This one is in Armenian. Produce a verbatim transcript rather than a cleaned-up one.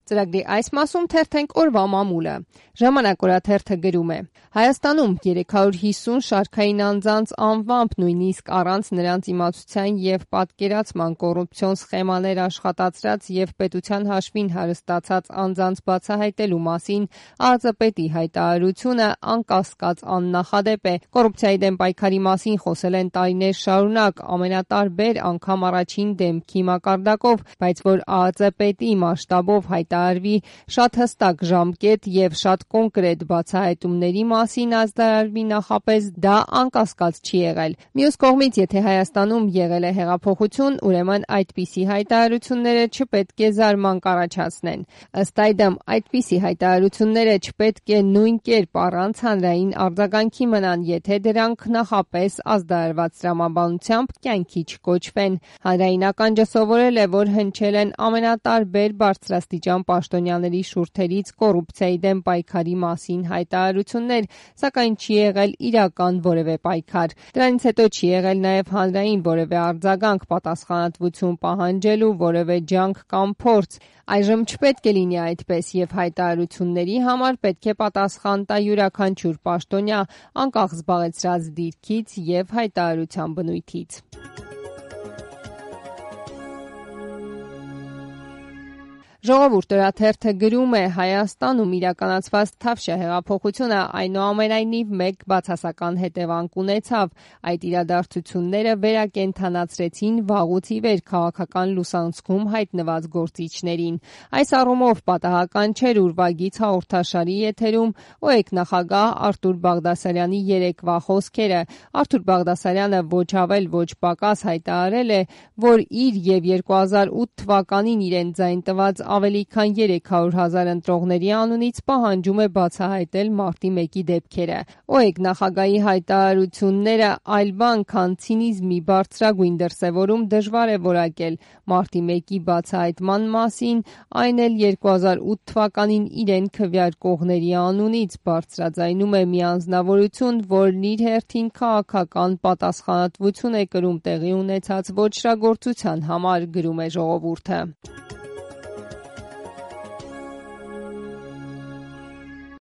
Ծրագրի այս մասում թերթենք օրվա մամուլը։ Ժամանակ օրաթերթը գրում է. Հայաստանում երեք հարյուր հիսուն շարքային անձանց անվամբ, նույնիսկ առանց նրանց իմացության և պատկերացման կոռուպցիոն սխեմաներ աշխատացրած և պետության հաշվին հարստացած անձանց բացահայտելու մասին ԱԾՊԵՏ-ի հայտարարությունը անկասկած աննախադեպ է։ Կոռուպցիայի դեմ պայքարի մասին խոսել են տարիներ շարունակ, ամենատարբեր, անգամ առաջին դեմքի մակարդակով, բայց որ ԱԾՊԵՏ-ի մասշտաբով հայտարարվի շատ հստակ ժամկետ և շատ կոնկրետ բացահայտումների մասին ազդարարվի նախապես, դա անկասկած չի եղել։ Մյուս կողմից, եթե Հայաստանում եղել է հեղափոխություն, ուրեմն այդպիսի հայտարարությունները չպետք է զարմանք առաջացնեն։ Ըստ այդմ, այդպիսի հայտարարությունները չպետք է նույն կերպ առանց հանրային արձագանքի մնան, եթե դրանք նախապես ազդարարված տրամաբանությամբ կյանքի չկոչվեն։ Հանրային ականջը սովորել է, որ հնչել են ամենատարբեր բարձրաստիճան պաշտոնյաների շուրթերից կոռուպցիայի դեմ պայքարի մասին հայտարարություններ, սակայն չի եղել իրական որևէ պայքար։ Դրանից հետո չի եղել նաև հանրային որևէ արձագանք, պատասխանատվություն պահանջելու որևէ ջանք կամ փորձ։ Այժմ չպետք է լինի այդպես, և հայտարարությունների համար պետք է պատասխան տա յուրաքանչյուր պաշտոնյա, անկախ զբաղեցրած դիրքից և հայտարարության բնույթից։ Ժողովուրդ օրաթերթը գրում է. Հայաստանում իրականացված Թավշյա հեղափոխությունը այնուամենայնիվ մեկ բացասական հետևանք ունեցավ։ Այդ իրադարձությունները վերակենդանացրեցին վաղուց ի վեր քաղաքական լուսանցքում հայտնված գործիչներին։ Այս առումով պատահական չէր ուրվագիծ հաղորդաշարի եթերում ՕԵԿ-նախագահ Արթուր Բաղդասարյանի երեկվա խոսքերը։ Արթուր Բաղդասարյանը ոչ ավել ոչ պակաս հայտարարել է, որ իր և երկու հազար ութ թվականին իրեն ձայն տված ավելի քան երեք հարյուր հազար ընտրողների անունից պահանջում է բացահայտել մարտի մեկի դեպքերը։ ՕԵԿ նախագահի հայտարարությունները այլ բան, քան ցինիզմի բարձրագույն դրսևորում դժվար է որակել։ Մարտի մեկի բացահայտման մասին, այն էլ երկու հազար ութ թվականին իրեն քվեարկողների անունից, բարձրաձայնում է մի անձնավորություն, որն իր հերթին քաղաքական պատասխանատվություն է կրում տեղի ունեցած ոճրագործության համար, գրում է Ժողովուրդը։